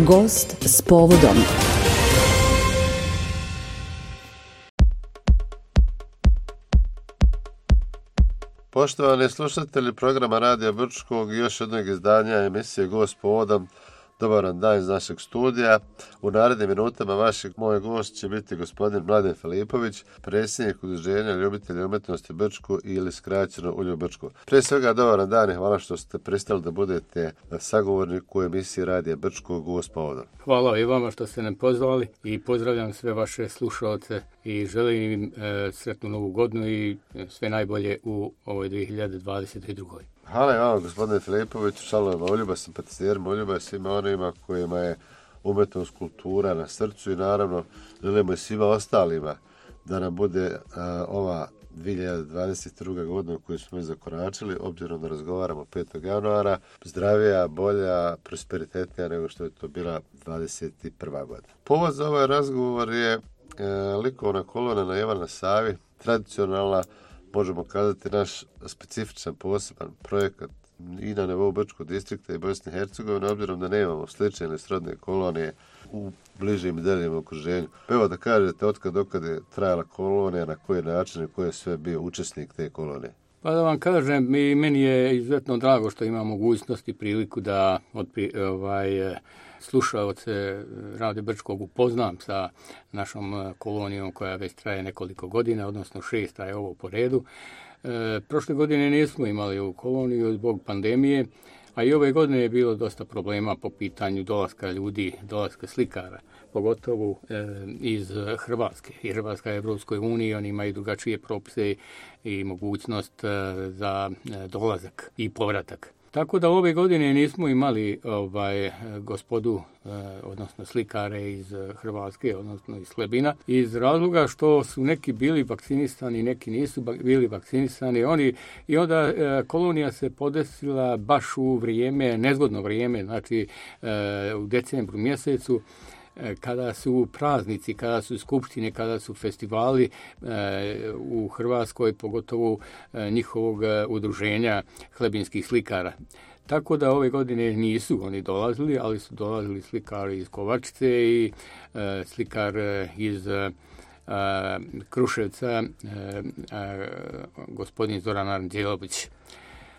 Gost s povodom. Poštovani slušatelji programa Radija Brčkog i još jednog izdanja emisije Gost s povodom, dobar vam dan iz našeg studija. U narednim minutama moj gost će biti gospodin Mladen Filipović, predsjednik Udruženja ljubitelja umjetnosti Brčko ili skraćeno Ulju Brčko. Prije svega dobar vam dan i hvala što ste pristali da budete sagovornik u emisiji Radija Brčko Gost s povodom. Hvala i vama što ste nam pozvali i pozdravljam sve vaše slušalce i želim im sretnu novu godinu i sve najbolje u ovoj 2022. Hvala i vama, gospodine Filipoviću, članovima Uljuba, simpatizerima Uljuba i svima onima kojima je umjetnost, kultura na srcu i naravno želimo i svima ostalima da nam bude ova 2022. godina koju smo zakoračili, obzirom da razgovaramo 5. januara, zdravija, bolja, prosperitetnija nego što je to bila 21. godina. Povod za ovaj razgovor je likovna kolona na Ivana Savi, tradicionalna, možemo kazati, naš specifičan poseban projekat i na nivou Brčkog distrikta i Bosne i Hercegovine, obzirom da nemamo slične ili srodne kolonije u bližim i daljim okruženju. Evo da kažete od kada je trajala kolonija, na koji način i ko je sve bio učesnik te kolonije. Pa da vam kažem, meni je izuzetno drago što imam mogućnost i priliku da slušaoce Radija Brčkog upoznam sa našom kolonijom koja već traje nekoliko godina, odnosno 6 je ovo po redu. Prošle godine nismo imali ovu koloniju zbog pandemije, a i ove godine je bilo dosta problema po pitanju dolaska ljudi, dolaska slikara, pogotovo iz Hrvatske. I Hrvatska je u Europskoj uniji, oni imaju drugačije propise i mogućnost za dolazak i povratak. Tako da ove godine nismo imali gospodu, odnosno slikare iz Hrvatske, odnosno iz Slebina, iz razloga što su neki bili vakcinisani, neki nisu bili vakcinisani. I onda kolonija se podesila baš u vrijeme, nezgodno vrijeme, znači u decembru mjesecu, kada su praznici, kada su skupštine, kada su festivali u Hrvatskoj, pogotovo njihovog udruženja hlebinskih slikara. Tako da ove godine nisu oni dolazili, ali su dolazili slikari iz Kovačice i slikar iz Kruševca, gospodin Zoran Aranđelović.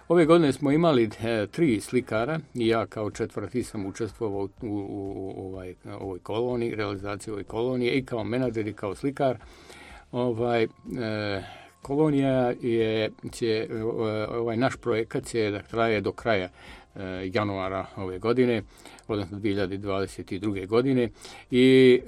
Ove godine smo imali 3 slikara i ja kao 4. sam učestvovao u ovoj koloniji, realizaciji ove kolonije i kao menadžer i kao slikar. Kolonija ovaj naš projekat će da traje do kraja januara ove godine, odnosno 2022. godine i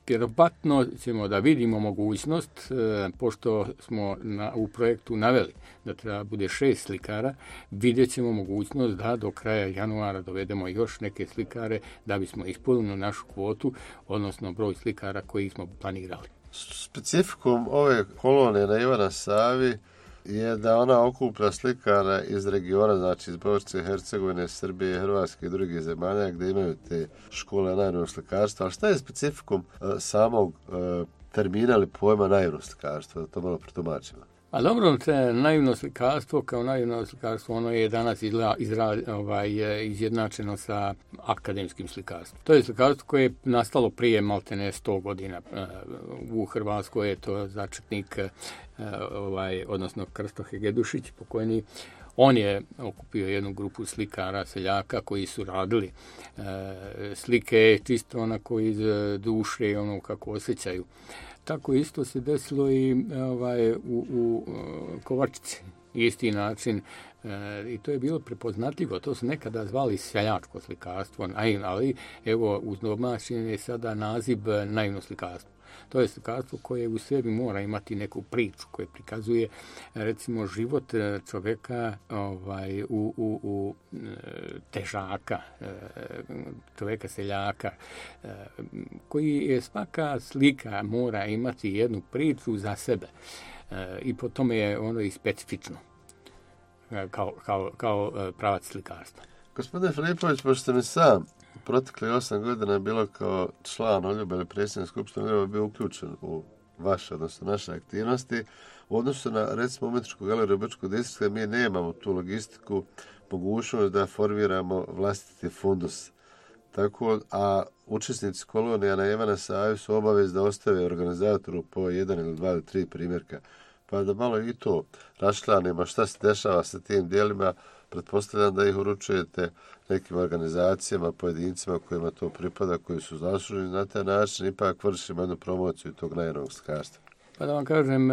vjerovatno ćemo da vidimo mogućnost, pošto smo u projektu naveli da treba bude 6 slikara, vidjet ćemo mogućnost da do kraja januara dovedemo još neke slikare da bismo ispunili našu kvotu, odnosno broj slikara koji smo planirali. Specifikum ove kolonije na Ivana Savi je da ona okuplja slikara iz regiona, znači iz Bosne i Hercegovine, Srbije, Hrvatske i drugih zemalja gdje imaju te škole naivnog slikarstva. Ali šta je specifikum samog termina ili pojma naivnog slikarstva? Da to malo protumačimo. A dobro, naivno slikarstvo kao naivno slikarstvo, ono je danas izjednačeno sa akademskim slikarstvom. To je slikarstvo koje je nastalo prije maltene 100 godina. U Hrvatskoj je to začetnik, odnosno Krsto Hegedušić, pokojni. On je okupio jednu grupu slikara, seljaka koji su radili slike čisto onako iz duše i ono kako osjećaju. Tako isto se desilo i u Kovačici, isti način, i to je bilo prepoznatljivo. To su nekada zvali seljačko slikarstvo, ali evo uz domaćin je sada naziv naivno slikarstvo. To je slikarstvo koje u sebi mora imati neku priču koja prikazuje recimo život čovjeka u težaka, čovjeka seljaka, koji je svaka slika mora imati jednu priču za sebe i po tome je ono i specifično kao pravac slikarstva. Gospodine Filipović, pošto ste mi sam protekli 8 godina bilo kao član Uljuba ili predsjednik skupštine Uljuba bio uključen u vaše, odnosno naše aktivnosti. U odnosu na, recimo, umjetničku galeriju Brčkog distrikta, mi nemamo tu logistiku, mogućnost da formiramo vlastiti fundus Tako, a učesnici kolonija na Ivana Savi su obavez da ostave organizatoru po 1 ili 2 ili 3 primjerka. Pa da malo i to raščlanimo šta se dešava sa tim dijelima, pretpostavljam da ih uručujete nekim organizacijama, pojedincima kojima to pripada, koji su zasluženi na taj način, ipak vršimo jednu promociju tog najnovog slikarstva. Pa da vam kažem,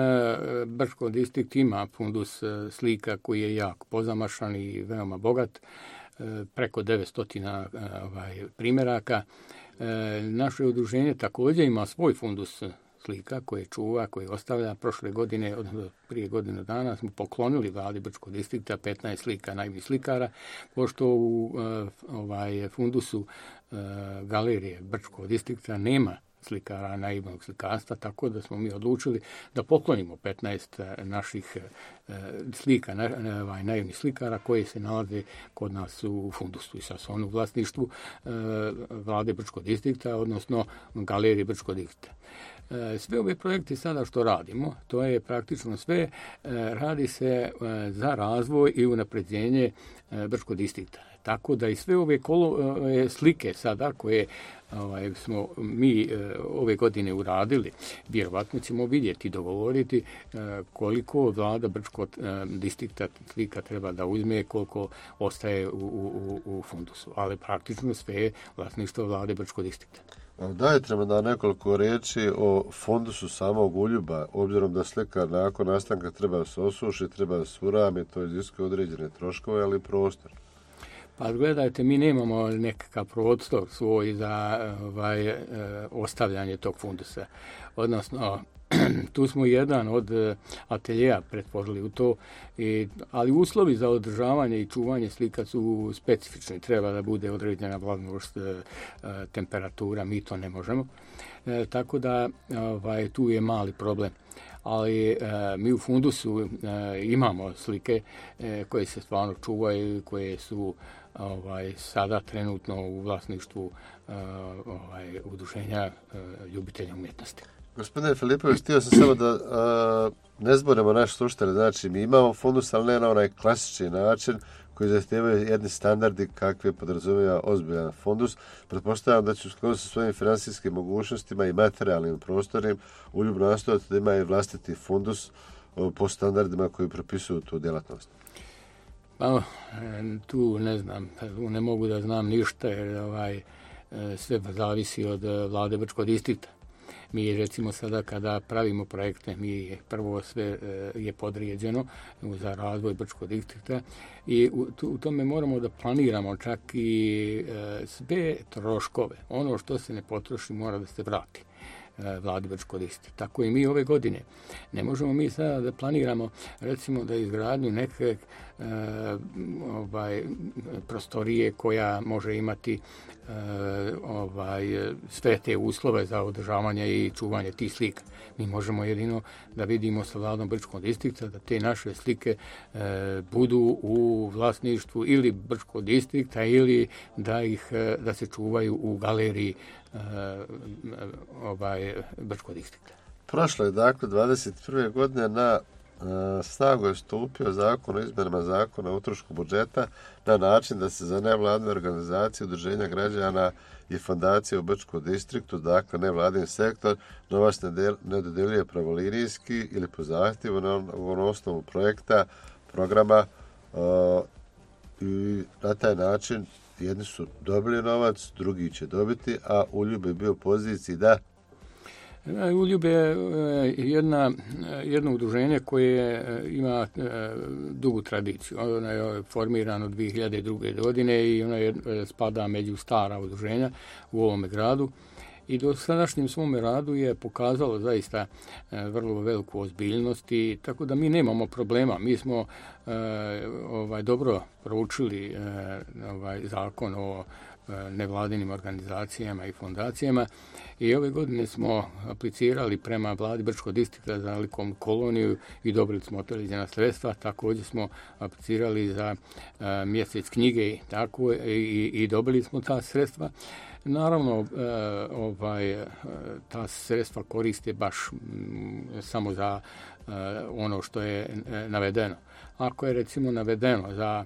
Brčko distrikt ima fundus slika koji je jako pozamašan i veoma bogat, preko 900 primjeraka. Naše udruženje također ima svoj fundus slika koje čuva, koje ostavlja. Prošle godine, odnosno prije godinu dana, smo poklonili vladi Brčkog distrikta 15 slika naivnih slikara, pošto u fundusu galerije Brčkog distrikta nema slikara naivnog slikarstva, tako da smo mi odlučili da poklonimo 15 naših slika, naivnih slikara koji se nalaze kod nas u fundusu i sad su oni u vlasništvu vlade Brčkog distrikta, odnosno galerije Brčkog distrikta. Sve ove projekte sada što radimo, to je praktično sve, radi se za razvoj i unapređenje Brčkog distrikta. Tako da i sve ove slike sada koje smo mi ove godine uradili, vjerovatno ćemo vidjeti i dogovoriti koliko vlada Brčkog distrikta slika treba da uzme, koliko ostaje u fundusu. Ali praktično sve je vlasništvo vlade Brčkog distrikta. Dajte nam da nekoliko reći o fondusu samog uljuba, obzirom da slika nakon nastanka treba da se osuši, treba da se urami, to iziskuje određene troškove, ali i prostor. Pa gledajte, mi nemamo nekakav prostor svoj za ostavljanje tog fundusa. Odnosno, tu smo jedan od ateljeja pretvorili u to, ali uslovi za održavanje i čuvanje slika su specifični. Treba da bude određena vlažnost, temperatura, mi to ne možemo. Tako da tu je mali problem. Ali mi u fundusu imamo slike koje se stvarno čuvaju, koje su sada trenutno u vlasništvu udruženja ljubitelja umjetnosti. Gospodine Filipović, htio sam samo da ne zborimo naše slušatelje. Znači, mi imamo fundus, ali ne na onaj klasični način koji zahtijevaju jedni standardi kakve podrazumijeva ozbiljan fundus. Pretpostavljam da će u skladu sa svojim financijskim mogućnostima i materijalnim prostornim uljub nastojati da ima i vlastiti fundus po standardima koji propisuju tu djelatnost. Pa, tu ne znam, ne mogu da znam ništa jer sve zavisi od vlade Brčkog distrikta. Mi recimo sada kada pravimo projekte, mi prvo sve je podređeno za razvoj Brčkog distrikta i u tome moramo da planiramo čak i sve troškove. Ono što se ne potroši mora da se vrati vladi Brčkog distrikta. Tako i mi ove godine. Ne možemo mi sada da planiramo recimo da izgradnju neke prostorije koja može imati sve te uslove za održavanje i čuvanje tih slika. Mi možemo jedino da vidimo sa vladom Brčkog distrikta da te naše slike budu u vlasništvu ili Brčkog distrikta ili da se čuvaju u galeriji Brčkog distrikta. Prošle je dakle 21. godine na snagu je stupio zakon o izmjenama zakona o utrošku budžeta na način da se za nevladine organizacije, udruženja građana i fondacije u Brčkom distriktu, dakle nevladin sektor, novac ne dodeljuje pravolinijski ili po zahtjevu na osnovu projekta, programa i na taj način jedni su dobili novac, drugi će dobiti, a Uljub je bio u poziciji da... Uljub je jedno udruženje koje ima dugu tradiciju. Ono je formirano 2002. godine i ono spada među stara udruženja u ovome gradu. I do sadašnjem svome radu je pokazalo zaista vrlo veliku ozbiljnost i tako da mi nemamo problema. Mi smo dobro proučili zakon o nevladinim organizacijama i fondacijama i ove godine smo aplicirali prema vladi Brčkog distrikta za likovnu koloniju i dobili smo određena sredstva. Također smo aplicirali za mjesec knjige i dobili smo ta sredstva. Naravno, ta sredstva koriste baš samo za ono što je navedeno. Ako je recimo navedeno za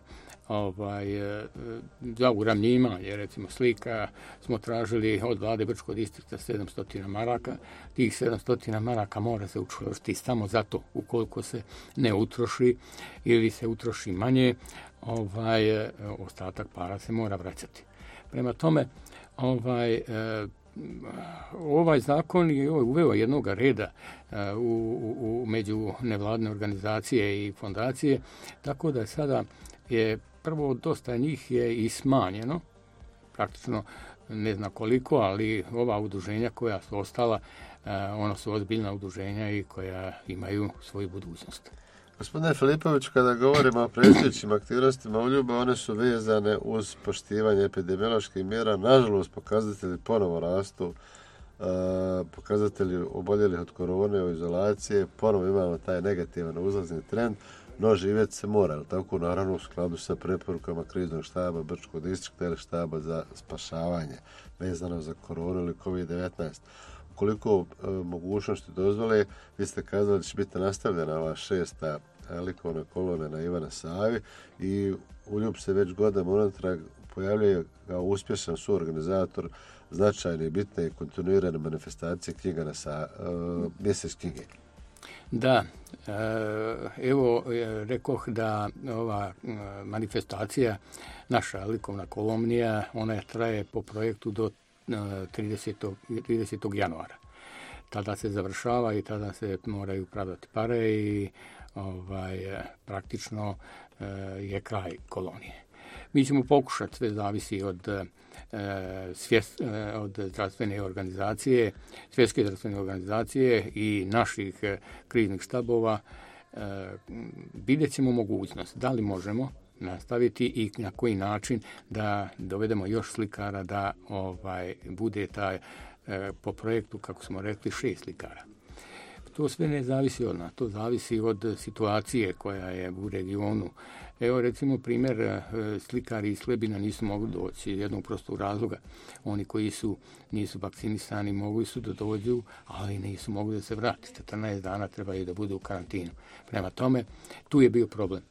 za uravnjivanje, recimo slika, smo tražili od vlade Brčkog distrikta 700 maraka. Tih 700 maraka mora se utrošiti samo zato, ukoliko se ne utroši ili se utroši manje, ostatak para se mora vraćati. Prema tome, ovaj zakon je uveo jednog reda među nevladne organizacije i fondacije, tako da sada je prvo dosta njih je i smanjeno, praktično ne znam koliko, ali ova udruženja koja su ostala, ona su ozbiljna udruženja i koja imaju svoju budućnost. Gospodine Filipović, kada govorimo o predstojećim aktivnostima Uljuba, one su vezane uz poštivanje epidemioloških mjera. Nažalost, pokazatelji ponovo rastu, pokazatelji oboljelih od korone u izolaciji, ponovo imamo taj negativan uzlazni trend, no živjeti se mora, tako naravno u skladu sa preporukama kriznog štaba Brčkog distrikta ili štaba za spašavanje vezano za koronu ili COVID-19. Koliko mogućnosti dozvole, vi ste kazali da će biti nastavljena ova 6. likovna kolona na Ivana Savi i Uljub se već godinama unatrag pojavljuje kao uspješan suorganizator značajne, bitne i kontinuirane manifestacije knjiga mjesec knjige. Da, evo rekoh da ova manifestacija, naša likovna kolonija, ona traje po projektu do 30. januara. Tada se završava i tada se moraju pravdati pare i praktično je kraj kolonije. Mi ćemo pokušati, sve zavisi od zdravstvene organizacije, svjetske zdravstvene organizacije i naših kriznih štabova. Vidjet ćemo mogućnost da li možemo nastaviti i na koji način da dovedemo još slikara da bude taj po projektu, kako smo rekli, 6 slikara. To sve ne zavisi od nas, to zavisi od situacije koja je u regionu. Evo recimo primjer, slikari iz Slebina nisu mogli doći jednog prostog razloga. Oni koji nisu vakcinisani mogli su da dođu, ali nisu mogli da se vrati. 14 dana trebaju da budu u karantinu. Prema tome, tu je bio problem.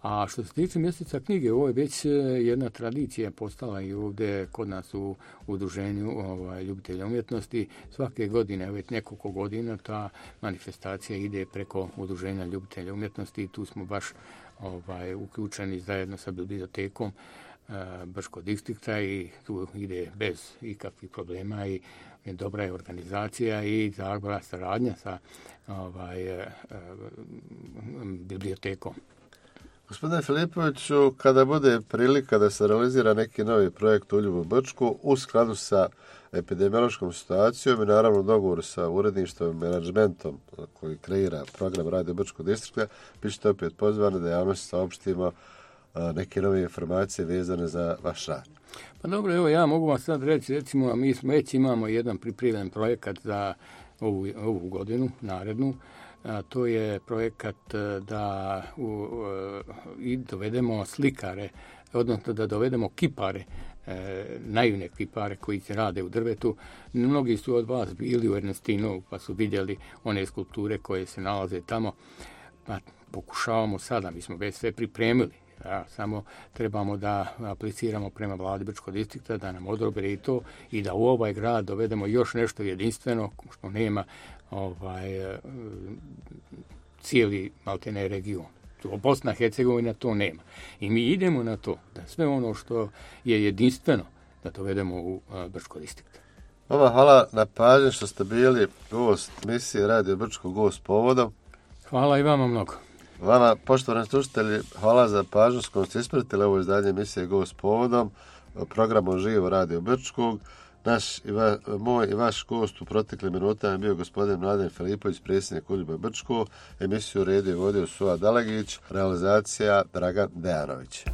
A što se tiče mjeseca knjige, ovo je već jedna tradicija postala i ovdje kod nas u udruženju ljubitelja umjetnosti. Svake godine, već nekoliko godina, ta manifestacija ide preko udruženja ljubitelja umjetnosti i tu smo baš uključeni zajedno sa bibliotekom Brčkog distrikta i tu ide bez ikakvih problema i dobra je organizacija i dobra saradnja sa bibliotekom. Gospodine Filipoviću, kada bude prilika da se realizira neki novi projekt u Uljubu Brčku u skladu sa epidemiološkom situacijom i naravno dogovor sa uredništvom i menadžmentom koji kreira program Radio Brčkog distrikta, bit ćete opet pozvani da javnosti saopštimo neke nove informacije vezane za vaš rad. Pa dobro, evo ja mogu vam sad reći, recimo, mi već imamo jedan pripremljen projekat za ovu godinu, narednu. To je projekat da i dovedemo slikare, odnosno da dovedemo kipare, naivne kipare koji se rade u drvetu. Mnogi su od vas bili u Ernestinovu pa su vidjeli one skulpture koje se nalaze tamo. Pa pokušavamo sada, mi smo već sve pripremili. Samo trebamo da apliciramo prema vladi Brčkog distrikta, da nam odobre i to i da u ovaj grad dovedemo još nešto jedinstveno što nema cijeli maltene region. Bosna i Hercegovina to nema. I mi idemo na to da sve ono što je jedinstveno da dovedemo u Brčkog distrikta. Hvala na pažnji što ste bili gost misije Radio Brčkog gost povodom. Hvala i vama mnogo. Vama, poštovani slušatelji, hvala za pažnju s kojom ste ispratili ovo izdanje emisije Gost povodom, programom Živo Radio Brčkog. Moj i vaš gost u proteklim minutama je bio gospodin Mladen Filipović, predsjednik Uljuba Brčkog. Emisiju redio i vodio Suad Dalagić, realizacija Dragan Dejanović.